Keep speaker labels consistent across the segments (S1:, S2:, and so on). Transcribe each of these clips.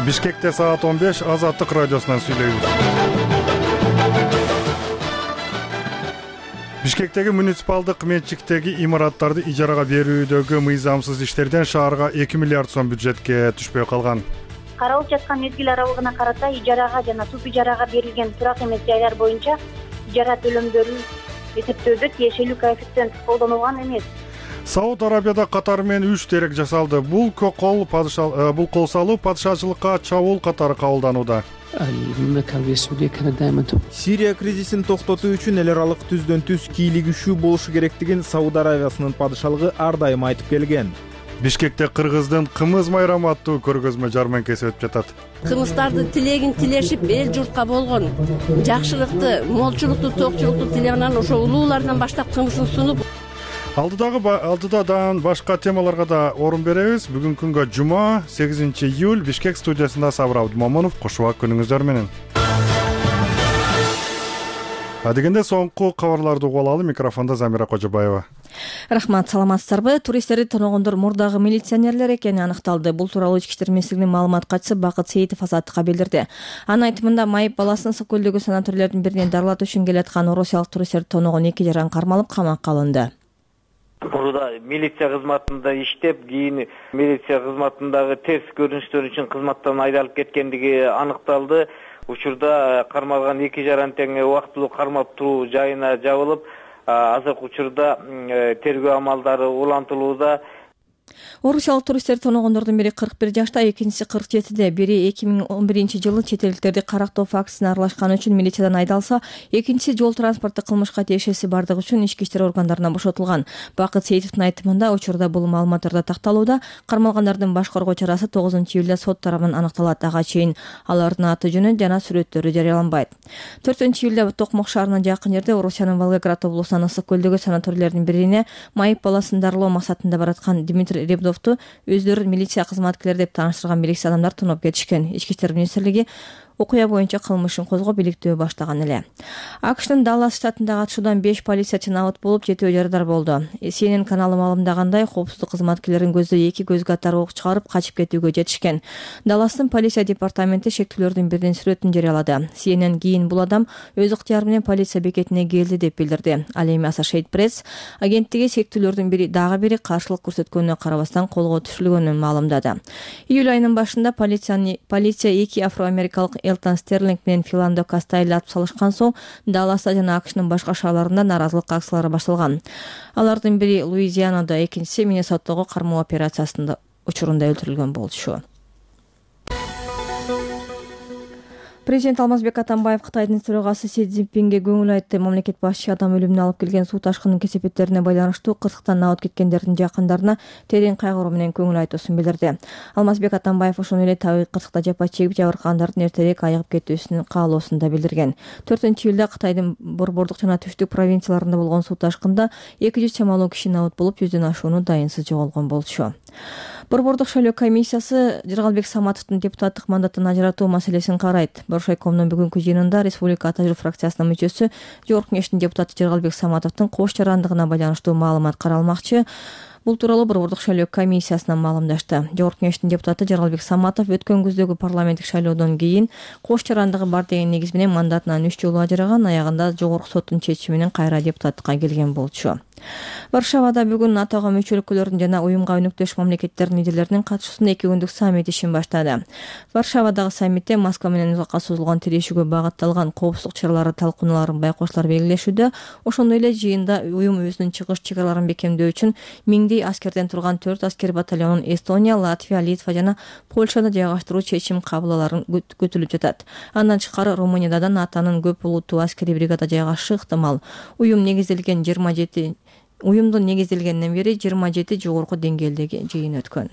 S1: Бишкекте саат 15 Азаттык радиосунан сүйлөйбүз. Бишкектеги муниципалдык менчиктеги имараттарды ижарага берүүдөгү мыйзамсыз иштерден шаарга 2 миллиард сом бюджетке түшпөй калган.
S2: Каралып жаткан мезгил аралыгына карата ижарага жана туп ижарага берилген турак эмес жайлар боюнча ижара төлөмдөрүн эсептөөдө тиешелүү коэффициент колдонулган эмес.
S1: Сауд Арабияда Катар менен 3 терек жасалды. Бул кол салуу падышачылыкка чабуул катары кабылданууда.
S3: Сирия кризисин токтотуу үчүн эл аралык түздөн түз кийлигишүү болушу керектигин Сауд Арабиясынын падышалыгы ар дайым айтып келген.
S1: Бишкекте кыргыздын кымыз майрамы аттуу көргөзмө жарманкеси өтүп жатат.
S4: Кымыздардын тилегин тилешип эл журтка болгон жакшылыкты, молчулукту, токчулукту тилегенан ошо улуулардан баштап кымызын сунуп
S1: Алдыда башка темаларга да орун беребиз. Бүгүнкү күнгө жума 8 июль Бишкек студиясында Сабыр Абдумомунов. Кошубак күнүңүздөр менен. Адегенде соңку кабарларды угуп алалы. Микрофондо Замира Кожобаева.
S5: Рахмат, саламатсыздарбы? Туристтерди тоногондор мурдагы милиционерлер экени аныкталды. Бул тууралуу Ички иштер министрлигинин маалымат катчысы Бакыт Сейитов Азаттыкка билдирди. Анын айтымында майып баласын Ысык көлдөгү санаторийлердин биринен дарылатуу үчүн келаткан орусиялык туристтерди тоногон 2 жаран кармалып камакка алынды.
S6: Мурда милиция кызматында иштеп, кийин милиция кызматындагы терс көрүнүштөр үчүн кызматтан айдалып кеткендиги аныкталды. Учурда кармалган 2 жаран тең убактылуу кармап туруу жайына жабылып, азыркы учурда тергөө амалдары улантылууда.
S5: Орусиялык туристтер тоногондордун бири 41 жашта, экинчиси 47де. Бири 2011-жылы чет элдиктерди карактоо фактысына аралашканы үчүн милициядан айдалса, экинчиси жол транспорту кылмышка тиешеси бардыгы үчүн ички иштер органдарынан бошотулган. Бакыт Сейитовдун айтымында учурда бул маалыматтарда такталууда. Кармалгандардын баш коргоо чарасы 9 июлда сот тарабынан аныкталат. Ага чейин алардын аты жөнү жана сүрөттөрү жарыяланбайт. 4 июлда Токмок шаарына жакын жерде Орусиянын Волгоград облусунан Ысык көлдөгү санаторийлердин бирине майып баласын дарылоо максатында бараткан Дмитрий Ребдовду өздөрүн милиция кызматкерлери деп тааныштырган белгисиз адамдар тоноп кетишкен. Ички иштер министрлиги окуя боюнча кылмышын козгоп иликтөө баштаган эле. АКШтын Даллас штатындагы атышуудан 5 полициячы набыт болуп, 7 жарадар болду. CNN каналы маалымдагандай, коопсуздук кызматкерлеринин көздөй 2 көз катары ок чыгарып качып кетүүгө жетишкен. Далластын полиция департаменти шектүүлөрдүн биринин сүрөтүн жарыялады. CNN кийин бул адам өз ыктыяры менен полиция бекетине келди деп билдирди. Ал эми Associated Press агенттиги шектүүлөрдүн дагы бири каршылык көрсөткөнүнө карабастан колго түшүрүлгөнүн маалымдады. Июль айынын башында полиция 2 афроамерикалык Элтон Стерлинг менен Филандо Кастайли атып салышкан соң Далласта жана АКШнын башка шаарларында нааразылык акциялары башталган. Алардын бири Луизианада, экинчиси Миннесотадагы кармоо операциясында учурунда өлтүрүлгөн болчу. Президент Алмазбек Атамбаев Кытайдын төрагасы Си Цзиньпинге көңүл айтты. Мамлекет башчы адам өлүмүнө алып келген суу ташкынынын кесепеттерине байланыштуу кырсыктан набыт кеткендердин жакындарына терең кайгыруу менен көңүл айтуусун билдирди. Алмазбек Атамбаев ошону эле табигый кырсыкта жапа чегип жабыркагандардын эртерээк айыгып кетүүсүн каалоосун да билдирген. 4 июлда Кытайдын борбордук жана түштүк провинцияларында болгон суу ташкында 200 чамалуу киши набыт болуп, 100дөн ашууну дайынсыз жоголгон болчу. Борбордук шайлоо комиссиясы Жыргалбек Саматовдун депутаттык мандатын ажыратуу маселесин карайт. Боршайкомдун бүгүнкү жыйынында Республика Ата Жол фракциясынын мүчөсү Жогорку Кеңештин депутаты Жыргалбек Саматовдун кош жарандыгына байланыштуу маалымат каралмакчы. Бул тууралуу Борбордук шайлоо комиссиясынан маалымдашты. Жогорку Кеңештин депутаты Жыргалбек Саматов өткөн күздөгү парламенттик шайлоодон кийин кош жарандыгы бар деген негиз менен мандатынан 3 жолу ажыраган, аягында Жогорку соттун чечими менен кайра депутаттыкка келген болчу. Варшавада бүгүн НАТОго мүчө өлкөлөрдүн жана уюмга өнөктөш мамлекеттердин лидерлеринин катышуусунда 2 күндүк саммит ишин баштады. Варшавадагы саммитте Москва менен узакка созулган тирешүүгө багытталган коопсуздук чаралары талкууналарын байкоочулар белгилешүүдө. Ошондой эле жыйында уюм өзүнүн чыгыш чегараларын бекемдөө үчүн миңдей аскерден турган 4 аскер батальонун Эстония, Латвия, Литва жана Польшада жайгаштыруу чечим кабыл аларын күтүлүп жатат. Андан тышкары Румынияда да НАТОнун көп улуттуу аскерий бригада жайгашышы ыктымал. Уюмдун негизделгенден бери 27 жогорку деңгээлдеги жыйын өткөн.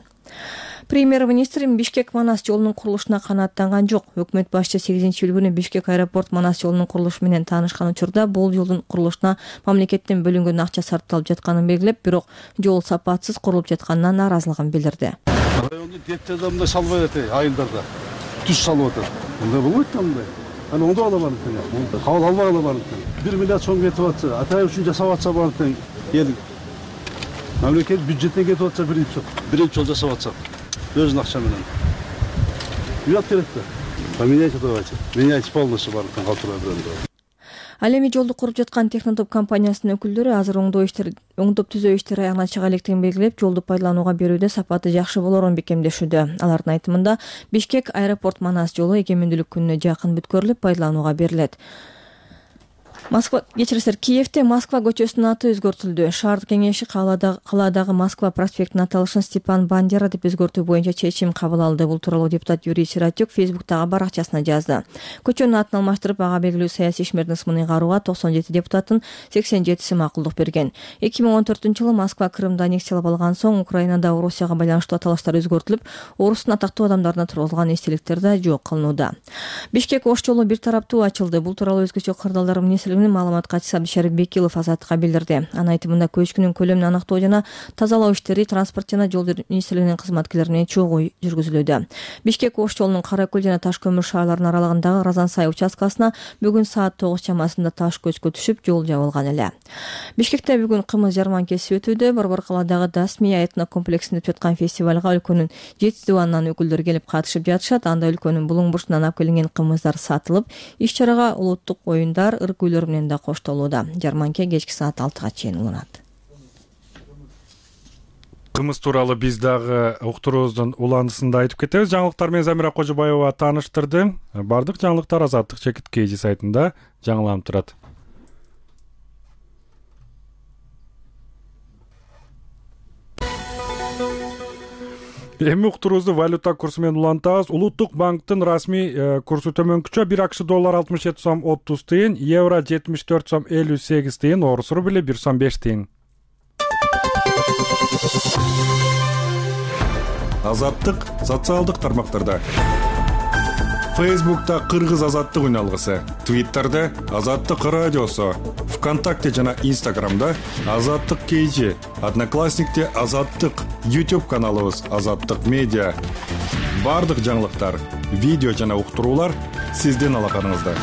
S5: Премьер-министр Бишкек Манас жолунун курулушуна канааттанган жок. Өкмөт башчы 8 июль күнү Бишкек аэропорт Манас жолунун курулушу менен таанышкан учурда бул жолдун курулушуна мамлекеттен бөлүнгөн акча сарпталып жатканын белгилеп, бирок жол сапатсыз курулуп жатканына нааразылыгын билдирди.
S7: Райондун деттерде мындай салбай атат, айылдарда түз салып атат. Мындай болбойт да мындай. Аны оңдоп ала барын тең. Кабыл албай ала барын тең. 1 миллиард сом кетип атса, атай үчүн жасап атса барын тең. Ел мамлекет бюджеттен кетип атса биринчи жол жасап атса өзүнүн акча менен. уят керек да. Поменяйте, давайте. Меняйте полностью барлыктан калтырбай берем.
S5: Ал эми жолду куруп жаткан Технотоп компаниясынын өкүлдөрү азыр оңдоп түзөө иштери аягына чыга электигин белгилеп, жолду пайдаланууга берүүдө сапаты жакшы болорун бекемдешүүдө. Алардын айтымында Бишкек аэропорт Манас жолу эгемендүүлүк күнүнө жакын бүткөрүлүп, пайдаланууга берилет. Киевде Москва көчөсүнүн аты өзгөртүлдү. Шаардык кеңеши калаадагы Москва проспектинин аталышын Степан Бандера деп өзгөртүү боюнча чечим кабыл алды. Бул тууралуу депутат Юрий Сиротюк Фейсбуктагы баракчасына жазды. Көчөнүн атын алмаштырып, ага белгилүү саясий ишмердин ысмын ыйгарууга 97 депутаттын 87си макулдук берген. 2014-жылы Москва Крымды аннексиялап алган соң Украинада Орусияга байланыштуу аталыштар өзгөртүлүп, Орустун атактуу адамдарына тургузулган эстеликтер да жок кылынууда. Бишкек Ош жолу бир тараптуу ачылды. Бул тууралуу өзгөчө кырдаалдар министрлигинин маалымат катчысы Абдишарип Бекилов Азаттыкка билдирди. Анын айтымында көчкүнүн көлөмүн аныктоо жана тазалоо иштери транспорт жана жол министрлигинин кызматкерлери менен чогуу жүргүзүлүүдө. Бишкек Ош жолунун Кара көл жана Таш көмүр шаарларынын аралыгындагы Разансай участкасына бүгүн саат 9 чамасында таш көчкү түшүп, жол жабылган эле. Бишкекте бүгүн кымыз жарманкеси өтүүдө. Борбор калаадагы Дасмия этно комплексинде өтүп жаткан фестивалга өлкөнүн 7 дубанынан өкүлдөр келип катышып жатышат. Анда өлкөнүн булуң бурчунан алып келинген кымыздар сатылып, иш-чарага улуттук оюндар, ыр күйлөр менен да коштолууда. Жарманке кечки саат 6-га чейин уланат.
S1: Кымыз тууралуу биз дагы уктуруубуздун уландысында айтып кетебиз. Жаңылыктар менен Замира Кожобаева тааныштырды. Бардык жаңылыктар Азаттык чекит KG сайтында жаңыланып турат. Эми уктуруубузду валюта курсу менен улантабыз. Улуттук банктын расмий курсу төмөнкүчө 1 акш доллар 67 сом 30 тыйын, евро 74 сом 58 тыйын, орус рубли 1 сом 5 тыйын. Азаттык социалдык тармактарда. Фейсбукта Кыргыз азаттык үналгысы, Твиттерде Азаттык радиосу, ВКонтакте жана Инстаграмда Азаттык KG, Одноклассникте Азаттык, YouTube каналыбыз Азаттык медиа. Бардык жаңылыктар, видео жана уктуруулар сиздин алаканыңызда.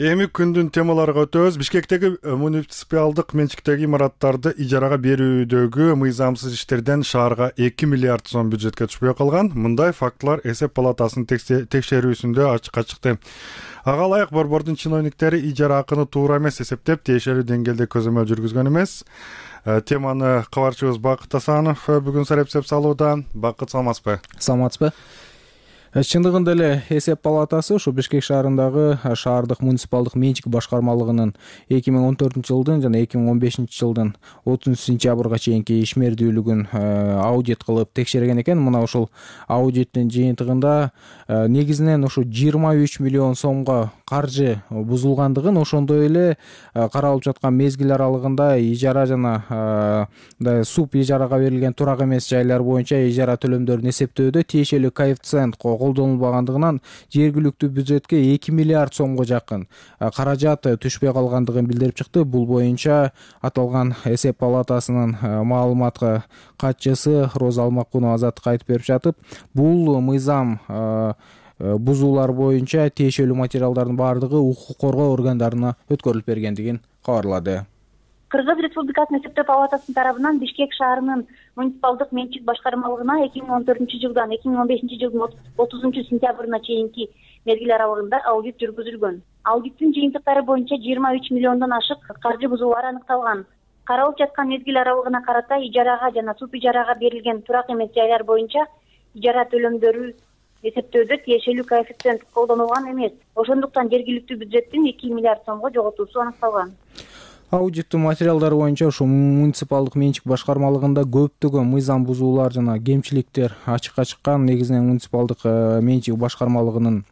S1: Эми күндүн темаларга өтөбүз. Бишкектеги муниципалдык менчиктеги имараттарды ижарага берүүдөгү мыйзамсыз иштерден шаарга 2 миллиард сом бюджетке түшпөй калган. Мындай фактылар эсеп палатасынын текшерүүсүндө ачыкка чыкты. Ага ылайык борбордун чиновниктери ижара акыны туура эмес эсептеп, тиешелүү деңгээлде көзөмөл жүргүзгөн эмес. Теманы кабарчыбыз Бакыт Асанов бүгүн сарепсеп салууда. Бакыт, саламатсызбы?
S3: Саламатсызбы? Чындыгында эле эсеп палатасы ушу Бишкек шаарындагы шаардык муниципалдык менчик башкармалыгынын 2014-жылдын жана 2015-жылдын 30-сентябрга чейинки ишмердүүлүгүн аудит кылып текшерген экен. Мына ушул аудиттин жыйынтыгында негизинен ушу 23 миллион сомго каржы бузулгандыгын, ошондой эле каралып жаткан мезгил аралыгында ижара жана суп ижарага берилген турак эмес жайлар боюнча ижара төлөмдөрүн эсептөөдө тиешелүү коэффициент колдонулбагандыгынан жергиликтүү бюджетке 2 миллиард сомго жакын каражат түшпөй калгандыгын билдирип чыкты. Бул боюнча аталган эсеп палатасынын маалымат катчысы Роза Алмакунова Азаттыкка айтып берип жатып, бул мыйзам бузуулар боюнча тиешелүү материалдардын баардыгы укук коргоо органдарына өткөрүлүп бергендигин кабарлады.
S2: Кыргыз Республикасынын эсептөө палатасынын тарабынан Бишкек шаарынын муниципалдык менчик башкармалыгына 2014-жылдан 2015-жылдын 30-сентябрына чейинки мезгил аралыгында аудит жүргүзүлгөн. Аудиттин жыйынтыктары боюнча 23 миллиондон ашык каржы бузуулар аныкталган. Каралып жаткан мезгил аралыгына карата ижарага жана суп ижарага берилген турак эмес жайлар боюнча ижара төлөмдөрү эсептөөдө тиешелүү коэффициент колдонулган эмес. Ошондуктан жергиликтүү бюджеттин 2 миллиард сомго жоготуусу аныкталган.
S3: Аудиттин материалдары боюнча ушул муниципалдык менчик башкармалыгында көптөгөн мыйзам бузуулар жана кемчиликтер ачыкка чыккан. Негизинен муниципалдык менчик башкармалыгынын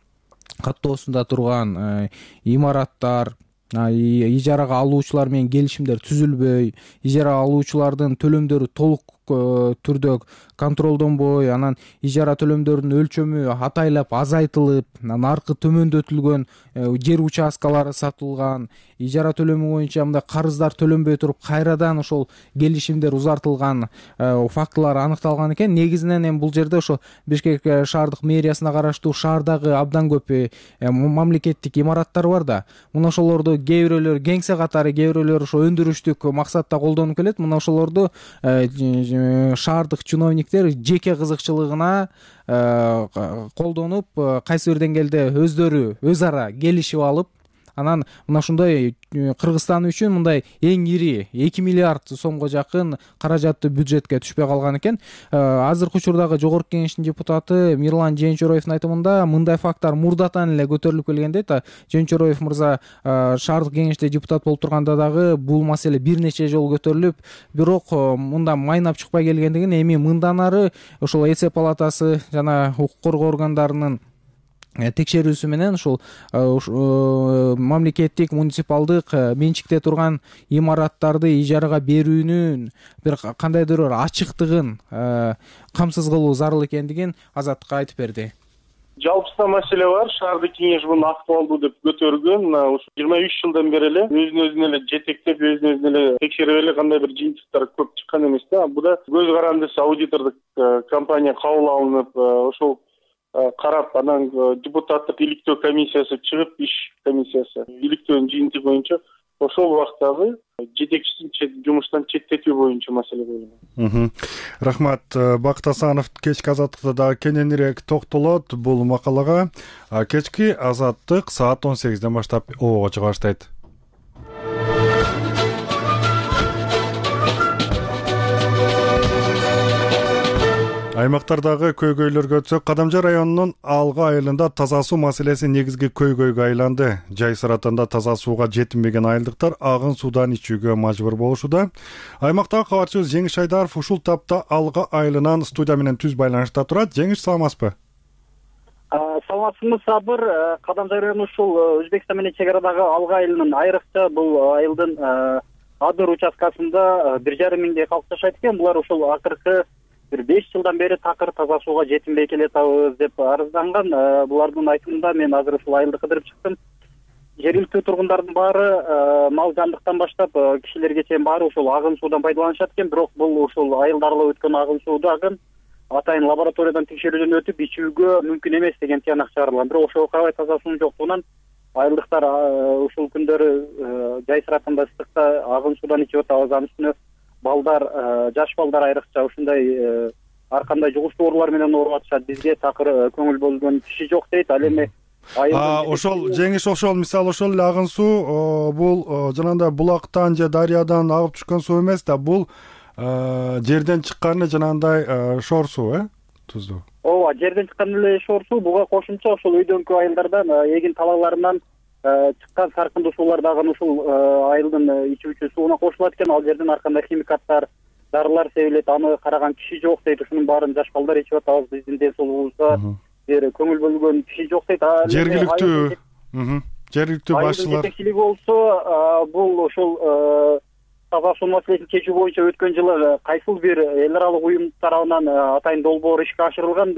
S3: каттоосунда турган имараттар, ижарага алуучулар менен келишимдер түзүлбөй, ижара алуучулардын төлөмдөрү толук түрдө контролдонбой, анан ижара төлөмдөрүнүн өлчөмү атайлап азайтылып, наркы төмөндөтүлгөн жер участкалары сатылган, ижара төлөмү боюнча мындай карыздар төлөнбөй туруп кайрадан ошол келишимдер узартылган фактылар аныкталган экен. Негизинен эми бул жерде ошо Бишкек шаардык мэриясына караштуу шаардагы абдан көп мамлекеттик имараттар бар да, мына ошолорду кээ бирөөлөр кеңсе катары, кээ бирөөлөр ошо өндүрүштүк максатта колдонуп келет. Мына ошолорду шаардык чиновниктер жеке кызыкчылыгына колдонуп, кайсы бир деңгээлде өздөрү өз ара келишип алып, анан мына ушундай Кыргызстан үчүн мындай эң ири 2 миллиард сомго жакын каражатты бюджетке түшпөй калган экен. Азыркы учурдагы жогорку кеңештин депутаты Мирлан Жээнчороевдун айтымында мындай факттар мурдатан эле көтөрүлүп келген дейт. Жээнчороев мырза шаардык кеңеште депутат болуп турганда дагы бул маселе бир нече жолу көтөрүлүп, бирок мында майнап чыкпай келгендигин, эми мындан ары ошол эсеп палатасы жана укук коргоо органдарынын текшерүүсү менен ушул мамлекеттик муниципалдык менчикте турган имараттарды ижарага берүүнүн бир кандайдыр бир ачыктыгын камсыз кылуу зарыл экендигин Азаттыкка айтып берди.
S8: Жалпысында маселе бар. Шаардык кеңеш муну актуалдуу деп көтөргөн. Ушу 23 жылдан бери эле өзүн эле жетектеп, өзүн эле текшерип эле кандай бир жыйынтыктар көп чыккан эмес да. Буда көз карандысы аудитордук компания кабыл алынып, ошол карап, анан депутаттык иликтөө комиссиясы чыгып, иш комиссиясы иликтөөнүн жыйынтыгы боюнча ошол убактагы жетекчисин жумуштан четтетүү боюнча маселе коюлган.
S1: Рахмат. Бакыт Асанов кечки Азаттыкта дагы кененирээк токтолот бул макалага. Кечки Азаттык саат 18ден баштап обого чыга баштайт. Аймактардагы көйгөйлөргө өтсөк, Кадамжай районунун Алга айылында таза суу маселеси негизги көйгөйгө айланды. Жай сыратында таза сууга жетинбеген айылдыктар агын суудан ичүүгө мажбур болушууда. Аймактагы кабарчыбыз Жеңиш Айдаров ушул тапта Алга айылынан студия менен түз байланышта турат. Жеңиш, саламатсызбы?
S9: Саламатсызбы, Сабыр. Кадамжай району ушул Өзбекстан менен чек арадагы Алга айылынын айрыкча бул айылдын Адыр участкасында 1,5 миңдей калк жашайт экен. Булар ушул акыркы бир 5 жылдан бери такыр таза сууга жетинбей келатабыз деп арызданган. Булардын айтымында мен азыр ушул айылды кыдырып чыктым. Жергиликтүү тургундардын баары мал жандыктан баштап кишилерге чейин баары ушул агын суудан пайдаланышат экен. Бирок бул ушул айылды аралап өткөн агын суудагы атайын лабораториядан текшерүүдөн өтүп ичүүгө мүмкүн эмес деген тыянак чыгарылган. Бирок ошого карабай таза суунун жоктугунан айылдыктар ушул күндөрү жай сыратында ыстыкта агын суудан ичип атабыз. Анын үстүнө балдар, жаш балдар айрыкча ушундай ар кандай жугуштуу оорулар менен ооруп атышат. Бизге такыр көңүл бөлгөн киши жок дейт. Ал эми
S1: ошол Жеңиш, ошол мисалы ошол эле агын суу бул жанагындай булактан же дарыядан агып түшкөн суу эмес да, бул жерден чыккан жанагындай шор суу, туздуу.
S9: Ооба, жерден чыккан эле шор суу. Буга кошумча ошол өйдөнкү айылдардан эгин талааларынан чыккан саркындуу суулар дагы ушул айылдын ичүүчү сууна кошулат экен. Ал жерден ар кандай химикаттар, дарылар себилет. Аны караган киши жок дейт. Ушунун баарын жаш балдар ичип атабыз. Биздин ден соолугубузга бир көңүл бөлгөн киши жок дейт.
S1: Жергиликтүү башчылар
S9: жетекчилиги болсо бул ошол таза суу маселесин чечүү боюнча өткөн жылы кайсыл бир эл аралык уюм тарабынан атайын долбоор ишке ашырылган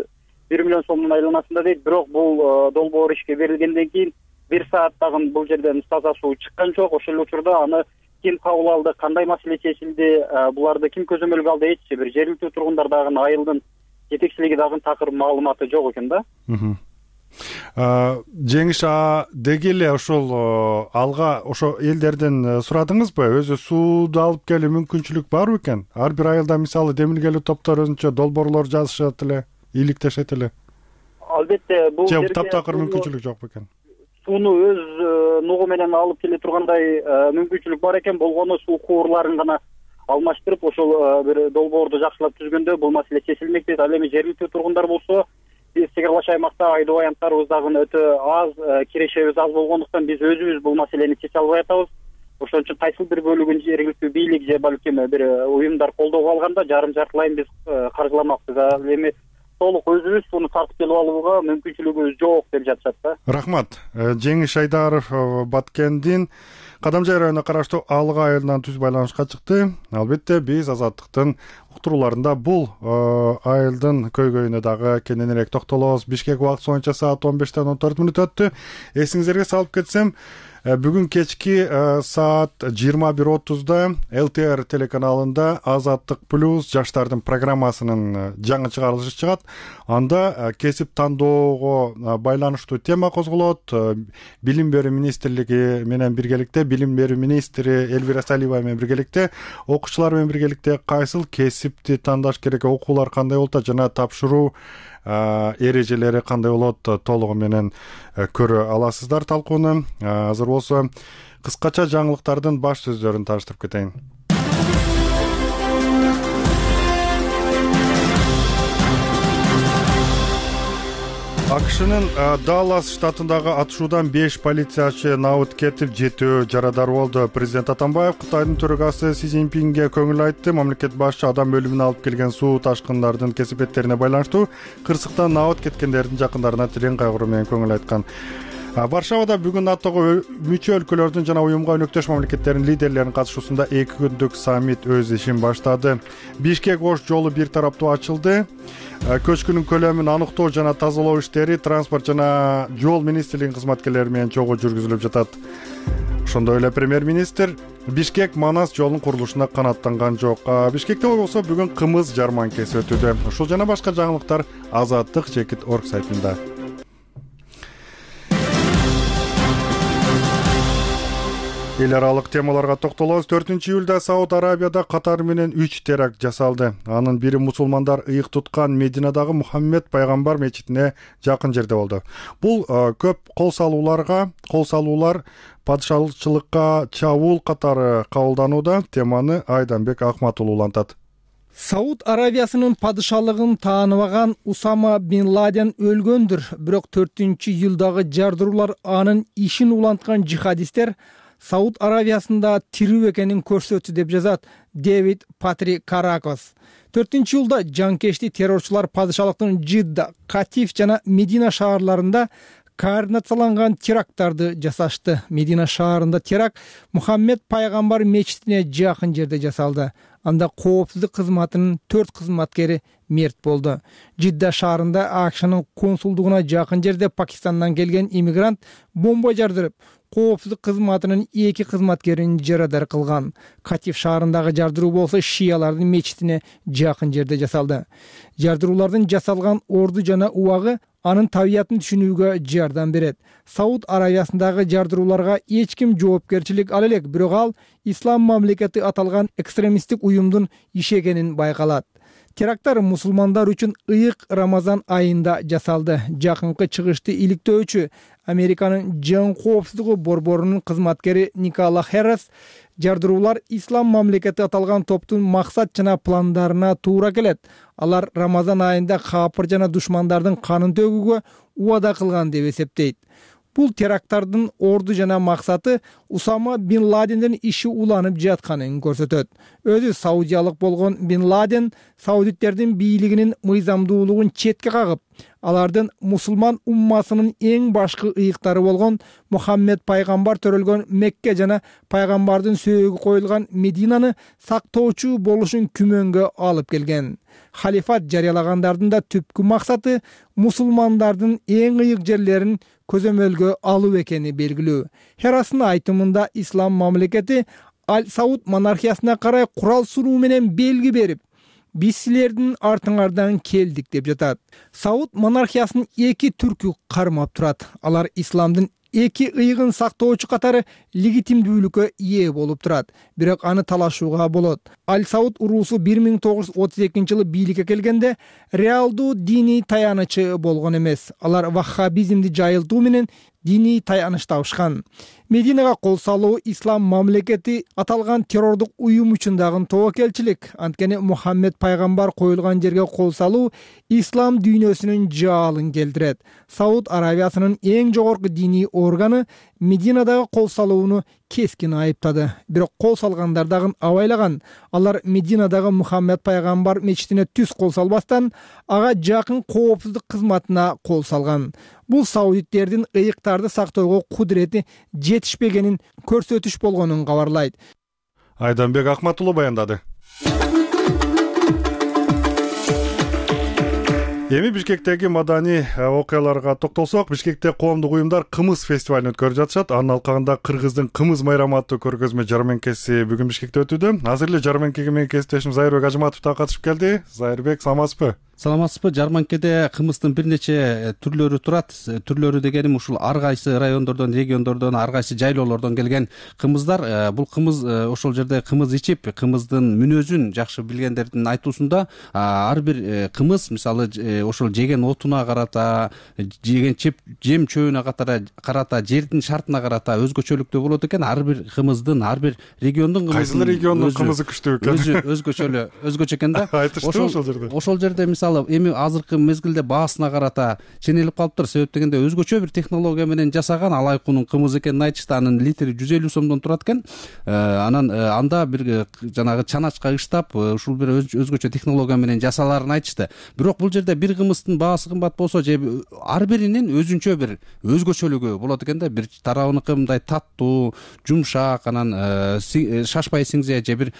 S9: 1 миллион сомдун айланасында дейт. Бирок бул долбоор ишке берилгенден кийин 1 сааттагы бул жерден таза суу чыккан жок. Ошол эле учурда аны ким кабыл алды, кандай маселе чечилди, буларды ким көзөмөлгө алды, эч бир жергиликтүү тургундар дагы, айылдын жетекчилиги дагы такыр маалыматы жок экен да.
S1: Жеңиш, деги эле ошол Алга ошо элдерден сурадыңызбы? Өзү сууду алып келүү мүмкүнчүлүк барбы экен? Ар бир айылда мисалы демилгелүү топтор өзүнчө долбоорлор жазышат эле, иликтешет эле.
S9: Албетте, бул
S1: жерде таптакыр мүмкүнчүлүк жокпу экен?
S9: Сууну өз нугу менен алып келе тургандай мүмкүнчүлүк бар экен. Болгону суу куурларын гана алмаштырып, ошол бир долбоорду жакшылап түзгөндө бул маселе чечилмек дейт. Ал эми жергиликтүү тургундар болсо, биз чек аралаш аймакта айдоо аянттарыбыз дагы өтө аз, кирешебиз аз болгондуктан биз өзүбүз бул маселени чече албай атабыз. Ошон үчүн кайсыл бир бөлүгүн жергиликтүү бийлик же балким бир уюмдар колдоого алганда жарым-жартылайын биз каржыламакпыз. Ал эми толук өзүбүз сууну тартып келип алууга мүмкүнчүлүгүбүз жок деп жатышат да.
S1: Рахмат. Жеңиш Айдаров Баткендин Кадамжай районуна караштуу Алга айылынан түз байланышка чыкты. Албетте биз Азаттыктын уктурууларында бул айылдын көйгөйүнө дагы кененирээк токтолобуз. Бишкек убакыты боюнча саат 15ден 14 мүнөт өттү. Эсиңиздерге салып кетсем, Бүгүн кечки саат 21:30 ЛТР телеканалында Азаттык плюс жаштардын программасынын жаңы чыгарылышы чыгат. Анда кесип тандоого байланыштуу тема козголот. Билим берүү министрлиги менен биргеликте, билим берүү министри Элвира Салиева менен биргеликте, окуучулар менен биргеликте кайсыл кесипти тандаш керек, окуулар кандай болот жана тапшыруу эрежелери кандай болот толугу менен көрө аласыздар талкууну. Азыр болсо кыскача жаңылыктардын баш сөздөрүн тааныштырып кетейин. АКШнын Даллас штатындагы атышуудан 5 полициячы набыт кетип, 7 жарадар болду. Президент Атамбаев Кытайдын төрагасы Си Цзиньпинге көңүл айтты. Мамлекет башчы адам өлүмүнө алып келген суу ташкындардын кесепеттерине байланыштуу кырсыктан набыт кеткендердин жакындарына терең кайгыруу менен көңүл айткан. Варшавада бүгүн НАТОго мүчө өлкөлөрдүн жана уюмга өнөктөш мамлекеттердин лидерлеринин катышуусунда 2 күндүк саммит өз ишин баштады. Бишкек-Ош жолу бир тараптуу ачылды. Көчкүнүн көлөмүн аныктоо жана тазалоо иштери транспорт жана жол министрлигинин кызматкерлери менен чогуу жүргүзүлүп жатат. Ошондой эле премьер-министр Бишкек-Манас жолунун курулушуна канааттанган жок. Бишкекте болсо бүгүн кымыз жарманкеси өтүүдө. Ушул жана башка жаңылыктар Азаттык.org сайтында. Эл аралык темаларга токтолобуз. 4-июлда Сауд Арабияда Катар менен 3 теракт жасалды. Анын бири мусулмандар ыйык туткан Мединадагы Мухаммед пайгамбар мечитине жакын жерде болду. Бул көп кол салуулар падышалыкчылыкка чабуул катары кабылданууда. Теманы Айданбек Акматулуу улантат.
S10: Сауд Арабиясынын падышалыгын тааныбаган Усама бин Ладен өлгөндүр. Бирок 4-июлдагы жардыруулар анын ишин уланткан жихадисттер Сауд Арабиясында тирүү экенин көрсөттү деп жазат Дэвид Патрик Каракос. 4-июлда жанкешти террорчулар падышалыктын Жидда, Катиф жана Медина шаарларында координацияланган теракттарды жасашты. Медина шаарында теракт Мухаммед пайгамбар мечитине жакын жерде жасалды. Анда коопсуздук кызматынын 4 кызматкери мерт болду. Жидда шаарында АКШнын консулдугуна жакын жерде Пакистандан келген иммигрант бомба жардырып, коопсуздук кызматынын 2 кызматкерин жарадар кылган. Катиф шаарындагы жардыруу болсо шиялардын мечитине жакын жерде жасалды. Жардыруулардын жасалган орду жана убагы анын табиятын түшүнүүгө жардам берет. Сауд Арабиясындагы жардырууларга эч ким жоопкерчилик ала элек, бирок ал ислам мамлекети аталган экстремисттик уюмдун иши экенин байкалат. Теракттар мусулмандар үчүн ыйык Рамазан айында жасалды. Жакынкы чыгышты иликтөөчү Американын жан коопсуздугу борборунун кызматкери Никола Херрес жардыруулар ислам мамлекети аталган топтун максат жана пландарына туура келет. Алар Рамазан айында капыр жана душмандардын канын төгүүгө убада кылган деп эсептейт. Бул теракттардын орду жана максаты Усама бин Ладендин иши уланып жатканын көрсөтөт. Өзү саудиялык болгон бин Ладен саудиттердин бийлигинин мыйзамдуулугун четке кагып, алардын мусулман уммасынын эң башкы ыйыктары болгон Мухаммед пайгамбар төрөлгөн Мекке жана пайгамбардын сөөгү коюлган Мединаны сактоочу болушун күмөнгө алып келген. Халифат жарыялагандардын да түпкү максаты мусулмандардын эң ыйык жерлерин көзөмөлгө алуу экени белгилүү. Херастын айтымында ислам мамлекети Ал-Сауд монархиясына карай курал суруу менен белги берип, биз силердин артыңардан келдик деп жатат. Сауд монархиясынын 2 түркү кармап турат. Алар исламдын 2 ыйыгын сактоочу катары легитимдүүлүккө ээ болуп турат. Бирок аны талашууга болот. Ал-Сауд уруусу 1932-жылы бийликке келгенде реалдуу диний таянычы болгон эмес. Алар ваххабизмди жайылтуу менен диний таяныч табышкан. Мединага кол салуу ислам мамлекети аталган террордук уюм үчүн дагы тобокелчилик. Анткени Мухаммед пайгамбар коюлган жерге кол салуу ислам дүйнөсүнүн жаалын келтирет. Сауд Арабиясынын эң жогорку диний органы Мединадагы кол салууну кескин айыптады. Бирок кол салгандар дагы абайлаган. Алар Мединадагы Мухаммед пайгамбар мечитине түз кол салбастан, ага жакын коопсуздук кызматына кол салган. Бул саудиттердин ыйыктарды сактоого кудурети жетишпегенин көрсөтүш болгонун кабарлайт.
S1: Айданбек Акматулуу баяндады. Эми Бишкектеги маданий окуяларга токтолсок, Бишкекте коомдук уюмдар кымыз фестивалын өткөрүп жатышат. Анын алкагында Кыргыздын кымыз майрамы аттуу көргөзмө жарманкеси бүгүн Бишкекте өтүүдө. Азыр эле жарманкеге менин кесиптешим Зайырбек Ажыматов да катышып келди. Зайырбек, саламатсызбы?
S11: Саламатсызбы? Жарманкеде кымыздын бир нече түрлөрү турат. Түрлөрү дегеним ушул ар кайсы райондордон, региондордон, ар кайсы жайлоолордон келген кымыздар. Бул кымыз ошол жерде кымыз ичип, кымыздын мүнөзүн жакшы билгендердин айтуусунда ар бир кымыз, мисалы ошол жеген отуна карата, жеген жем чөбүнө карата, жердин шартына карата өзгөчөлүктүү болот экен. Ар бир кымыздын, ар бир региондун кымызы,
S1: кайсы региондун кымызы күчтүү экен?
S11: Өзгөчө экен да.
S1: Айтышты ошол жерде.
S11: Ошол жерде мисалы эми азыркы мезгилде баасына карата ченелип калыптыр. Себеп дегенде өзгөчө бир технология менен жасаган алайкунун кымыз экенин айтышты. Анын литри 150 сомдон турат экен. Анан анда бир жанагы чаначка ыштап, ушул бир өзгөчө технология менен жасалаарын айтышты. Бирок бул жерде бир кымыздын баасы кымбат болсо, же ар биринин өзүнчө бир өзгөчөлүгү болот экен да. Бир тарабыныкы мындай таттуу, жумшак, анан шашпай сиңзе, же бир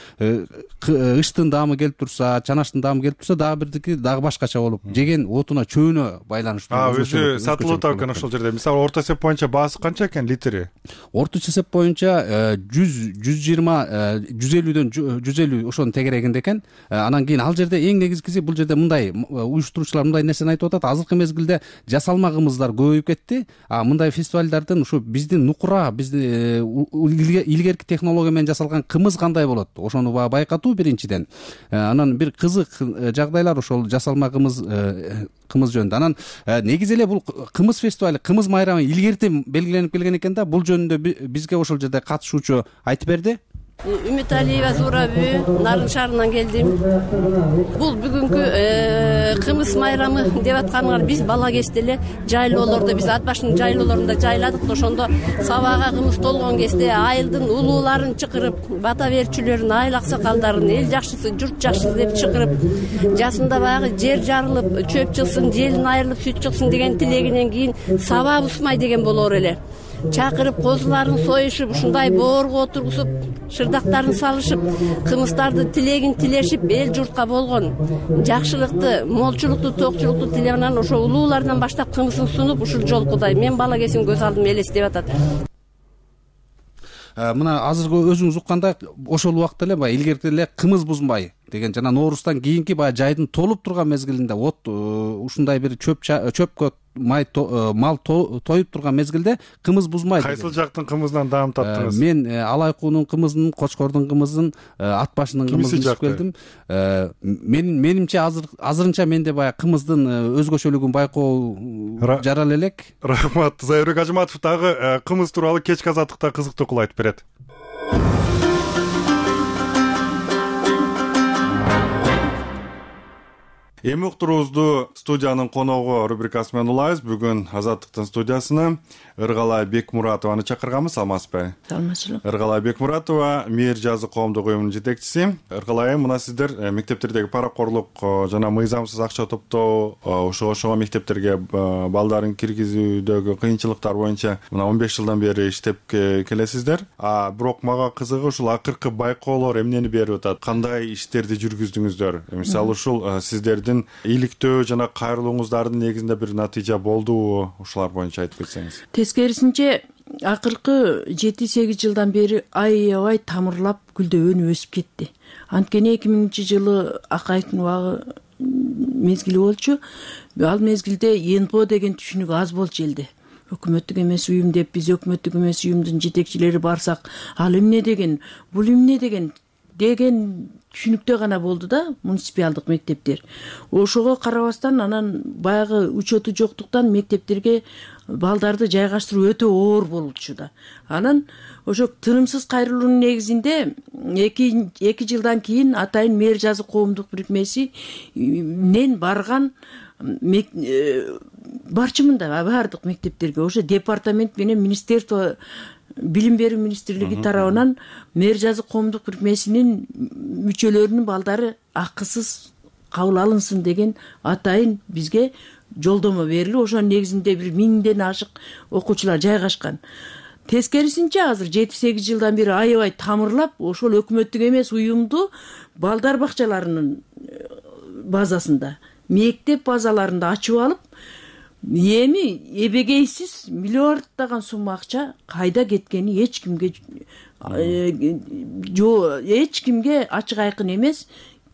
S11: ыштын даамы келип турса, чанаштын даамы келип турса, дагы бирдики дагы башкача болуп, жеген отуна, чөбүнө байланыштуу.
S1: Өзү сатылып атат экен ошол жерде. Мисалы орто эсеп боюнча баасы канча экен литри?
S11: Орточо эсеп боюнча 120-150 ошонун тегерегинде экен. Анан кийин ал жерде эң негизгиси, бул жерде мындай уюштуруучулар мындай нерсени айтып атат. Азыркы мезгилде жасалма кымыздар көбөйүп кетти. Мындай фестивалдардын ушу биздин нукура, биздин илгерки технология менен жасалган кымыз кандай болот? Ошону байкатуу биринчиден. Анан бир кызык жагдайлар ошол жасалма кымыз жөнүндө. Анан негизи эле бул кымыз фестивалы, кымыз майрамы илгертен белгиленип келген экен да. Бул жөнүндө бизге ошол жерде катышуучу айтып берди.
S4: Үмүт Алиева Зурабү, Нарын шаарынан келдим. Бул бүгүнкү кымыз майрамы деп атканыңар биз бала кезде эле жайлоолордо, биз ат башынын жайлоолорунда жайладык. Ошондо сабага кымыз толгон кезде айылдын улууларын чакырып, бата берчүлөрүн, айыл аксакалдарын, эл жакшысы, журт жакшысы деп чакырып, жасында баягы жер жарылып, чөп чыксын, желин айрылып, сүт чыксын деген тилегинен кийин саба бусмай деген болор эле. Чакырып, козуларын союшуп, ушундай боорго отургузуп, шырдактарын салышып, кымыздарды тилегин тилешип, эл журтка болгон жакшылыкты, молчулукту, токчулукту тилегенен ошо улуулардан баштап кымызын сунуп, ушул жолкудай мен бала кезим көз алдыма элестеп атат.
S11: Мына азыркы өзүңүз уккандай, ошол убакта эле баягы илгерки эле кымыз бузмай деген жана Нооруздан кийинки баягы жайдын толуп турган мезгилинде, ушундай бир чөпкө мал тоюп турган мезгилде кымыз бузмай.
S1: Кайсыл жактын кымызынан даам таттыңыз?
S11: Мен алайкуунун кымызын, Кочкордун кымызын, ат башынын кымызын ичип келдим. Менимче азырынча менде баягы кымыздын өзгөчөлүгүн байкоо жарал элек.
S1: Рахмат. Зайырбек Ажыматов дагы кымыз тууралуу кечки азаттыкта кызыктуу кыл айтып берет. Эми уктуруубузду студиянын коногу рубрикасы менен улайбыз. Бүгүн Азаттыктын студиясына Ыргалай Бекмуратованы чакырганбыз. Саламатсызбы?
S12: Саламатчылык.
S1: Ыргалай Бекмуратова Мээр жазы коомдук уюмунун жетекчиси. Ыргалай, мына сиздер мектептердеги паракорлук жана мыйзамсыз акча топтоо, ошого мектептерге балдарын киргизүүдөгү кыйынчылыктар боюнча мына 15 жылдан бери иштеп келесиздер. Бирок мага кызыгы ушул акыркы байкоолор эмнени берип атат? Кандай иштерди жүргүздүңүздөр? Мисалы ушул сиздердин иликтөө жана кайрылууңуздардын негизинде бир натыйжа болдубу? Ушулар боюнча айтып кетсеңиз.
S12: Тескерисинче акыркы 7-8 жылдан бери аябай тамырлап гүлдөөнү өсүп кетти. Анткени 2000-жылы акайдын убагы мезгили болчу. Ал мезгилде ЕНПО деген түшүнүк аз болчу элде. Өкмөттүк эмес уюм деп биз өкмөттүк эмес уюмдун жетекчилери барсак, ал эмне деген, бул эмне деген түшүнүктө гана болду да муниципалдык мектептер. Ошого карабастан анан баягы учету жоктуктан мектептерге балдарды жайгаштыруу өтө оор болчу да. Анан ошо тынымсыз кайрылуунун негизинде 2 жылдан кийин атайын Мээр жазы коомдук бирикмесинен барган барчымында баардык мектептерге ошо департамент менен министерство, билим берүү министрлиги тарабынан Мээр жазы коомдук бирикмесинин мүчөлөрүнүн балдары акысыз кабыл алынсын деген атайын бизге жолдомо берилип, ошонун негизинде бир 1000ден ашык окуучулар жайгашкан. Тескерисинче азыр 7-8 жылдан бери аябай тамырлап, ошол өкмөттүк эмес уюмду балдар бакчаларынын базасында мектеп базаларында ачып алып, эми эбегейсиз миллиарддаган сумма акча кайда кеткени эч кимге эч кимге ачык айкын эмес.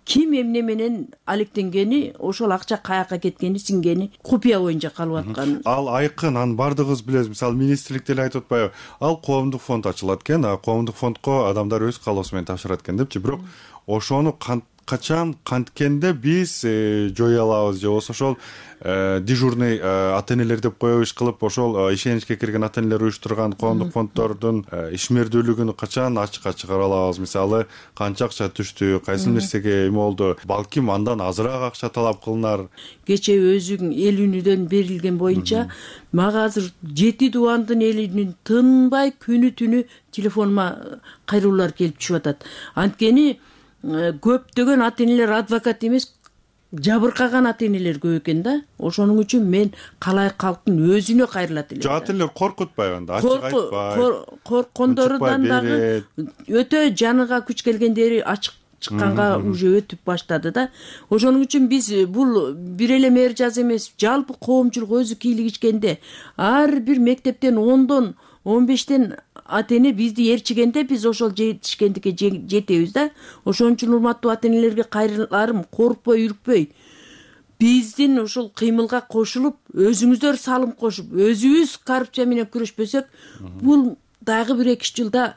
S12: Ким эмне менен алектенгени, ошол акча каяка кеткени, сиңгени купуя боюнча калып аткан.
S1: Ал айкын, анын бардыгыбыз билебиз. Мисалы, министрлик деле айтып атпайбы? Ал коомдук фонд ачылат экен, коомдук фондко адамдар өз каалоосу менен тапшырат экен депчи. Бирок ошону качан канткенде биз жое алабыз, же болбосо ошол дежурный ата-энелер деп коебу иш кылып, ошол ишеничке кирген ата-энелер уюштурган коомдук фонддордун ишмердүүлүгүн качан ачыкка чыгара алабыз? Мисалы, канча акча түштү, кайсы нерсеге эме болду? Балким андан азыраак акча талап кылынар.
S12: Кече өзүң эл үнүдөн берилген боюнча мага азыр 7 дубандын элинин тынбай күнү түнү телефонума кайрылуулар келип түшүп атат. Анткени көптөгөн ата-энелер адвокат эмес, жабыркаган ата-энелер көп экен да. Ошонун үчүн мен калай калктын өзүнө кайрылат элем.
S1: Ата-энелер коркутпайбы анда? Ачык айтпай.
S12: Корккондорунан дагы өтө жаныга күч келгендери ачык чыкканга уже өтүп баштады да. Ошонун үчүн биз бул бир эле мэр жаз эмес, жалпы коомчулук өзү кийлигишкенде, ар бир мектептен 10дон 15тен ата-эне бизди ээрчигенде биз ошол жетишкендикке жетебиз да. Ошон үчүн урматтуу ата-энелерге кайрыларым, коркпой, үркпөй, биздин ушул кыймылга кошулуп, өзүңүздөр салым кошуп, өзүбүз коррупция менен күрөшпөсөк, бул дагы 1-2 жылда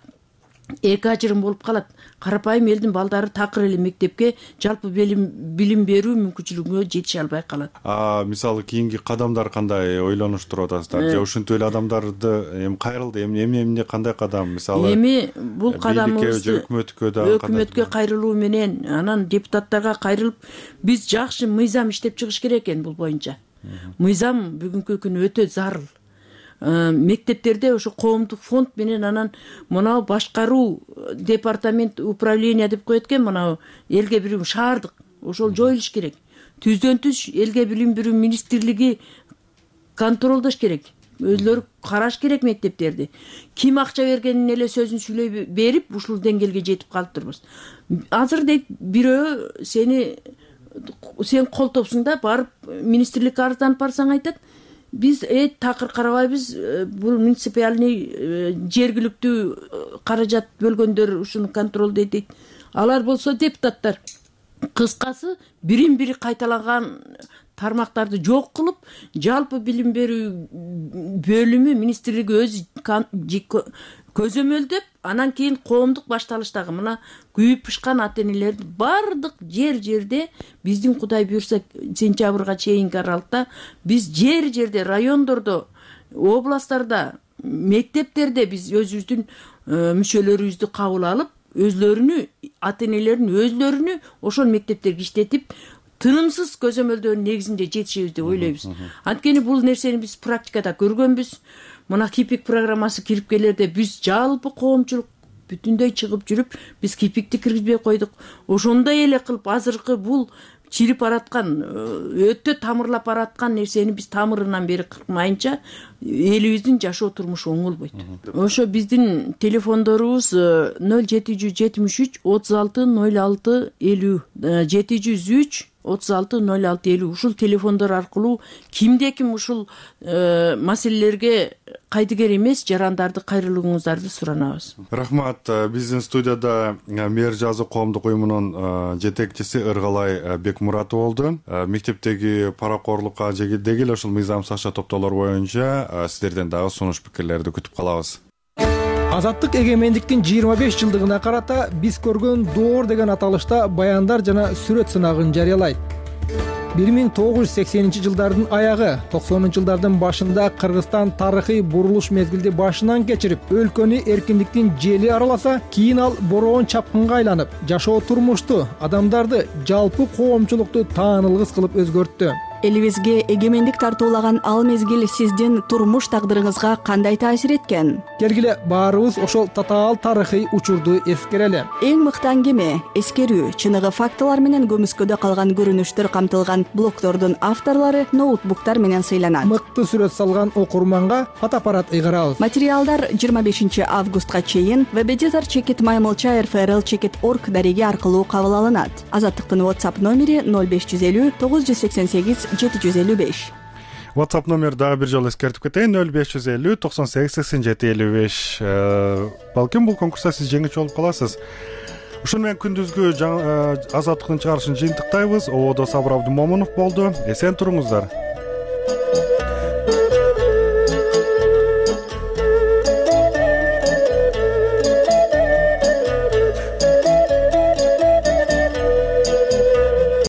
S12: эки ажырым болуп калат. Карапайым элдин балдары такыр эле мектепке жалпы билим берүү мүмкүнчүлүгүнө жетише албай калат.
S1: Мисалы, кийинки кадамдар кандай ойлонуштуруп атасыздар? Же ушинтип эле адамдарды эми кайрылды, эмне кандай кадам? Мисалы,
S12: эми бул кадамыбызды
S1: өкмөткө
S12: кайрылуу менен, анан депутаттарга кайрылып, биз жакшы мыйзам иштеп чыгыш керек экен бул боюнча. Мыйзам бүгүнкү күнү өтө зарыл. Мектептерде ошо коомдук фонд менен анан мынау башкаруу департамент управление деп коет экен, мынау элге билим шаардык, ошол жоюлуш керек. Түздөн түз элге билим берүү министрлиги контролдош керек. Өзлөрү караш керек мектептерди. Ким акча бергенин эле сөзүн сүйлөй берип, ушул деңгээлге жетип калыптырбыз. Азыр дейт бирөө сен колтопсуң да, барып министрликке арызданып барсаң айтат, биз такыр карабайбыз, бул муниципальный жергиликтүү каражат бөлгөндөр ушуну контролдойт дейт. Алар болсо депутаттар. Кыскасы, бирин-бири кайталаган тармактарды жок кылып, жалпы билим берүү бөлүмү министрлиги өзү көзөмөлдөп, анан кийин коомдук башталыштагы мына күйүп пышкан ата-энелерди бардык жерде биздин Кудай буйрса сентябрга чейинки аралыкта биз жерде, райондордо, областтарда, мектептерде биз өзүбүздүн мүчөлөрүбүздү кабыл алып, өзлөрүнү, ата-энелерин өзлөрүнү ошол мектептерге иштетип, тынымсыз көзөмөлдөөнүн негизинде жетишебиз деп ойлойбуз. Анткени бул нерсени биз практикада көргөнбүз. Мына кипик программасы кирип келерде биз жалпы коомчулук бүтүндөй чыгып жүрүп, биз кипикти киргизбей койдук. Ошондой эле кылып азыркы бул чирип бараткан, өтө тамырлап бараткан нерсени биз тамырынан бери кыркмайынча элибиздин жашоо турмушу оңолбойт. Ошо биздин телефондорубуз 0773 36 06 50, 703 36 06 50. Ушул телефондор аркылуу кимде ким ушул маселелерге кайдыгер эмес жарандарды кайрылууңуздарды суранабыз.
S1: Рахмат. Биздин студияда мэр жазуу коомдук уюмунун жетекчиси Ыргалай Бекмуратов болду. Мектептеги паракорлукка деги эле ушул мыйзамсыз акча топтоолор боюнча сиздерден дагы сунуш пикирлерди күтүп калабыз.
S10: Азаттык эгемендиктин 25 жылдыгына карата биз көргөн доор деген аталышта баяндар жана сүрөт сынагын жарыялайт. 1980 жылдардын аягы, 90 жылдардын башында Кыргызстан тарыхый бурулуш мезгилди башынан кечирип, өлкөнү эркиндиктин жели араласа, кийин ал бороон чапкынга айланып, жашоо турмушту, адамдарды, жалпы коомчулукту таанылгыс кылып өзгөрттү.
S13: элибизге эгемендик тартуулаган ал мезгил сиздин турмуш тагдырыңызга кандай таасир эткен?
S10: келгиле баарыбыз ошол татаал тарыхый учурду эскерели.
S13: Эң мыкты аңгеме, эскерүү, чыныгы фактылар менен көмүскөдө калган көрүнүштөр камтылган блогдордун авторлору ноутбуктар менен сыйланат.
S10: Мыкты сүрөт салган окурманга фотоаппарат ыйгарабыз.
S13: Материалдар 25 августка чейин webeditor@maymolcha.rfrl.org дареги аркылуу кабыл алынат. Азаттыктын WhatsApp номери 0550 988 755.
S1: WhatsApp номер дагы бир жолу эскертип кетейин: 0550 98 87 55. Балким бул конкурста сиз жеңүүчү болуп каласыз. Ушуну менен күндүзгү азаттыктын чыгарышын жыйынтыктайбыз. Ободо Сабыр Абдымомунов болду. Эсен туруңуздар.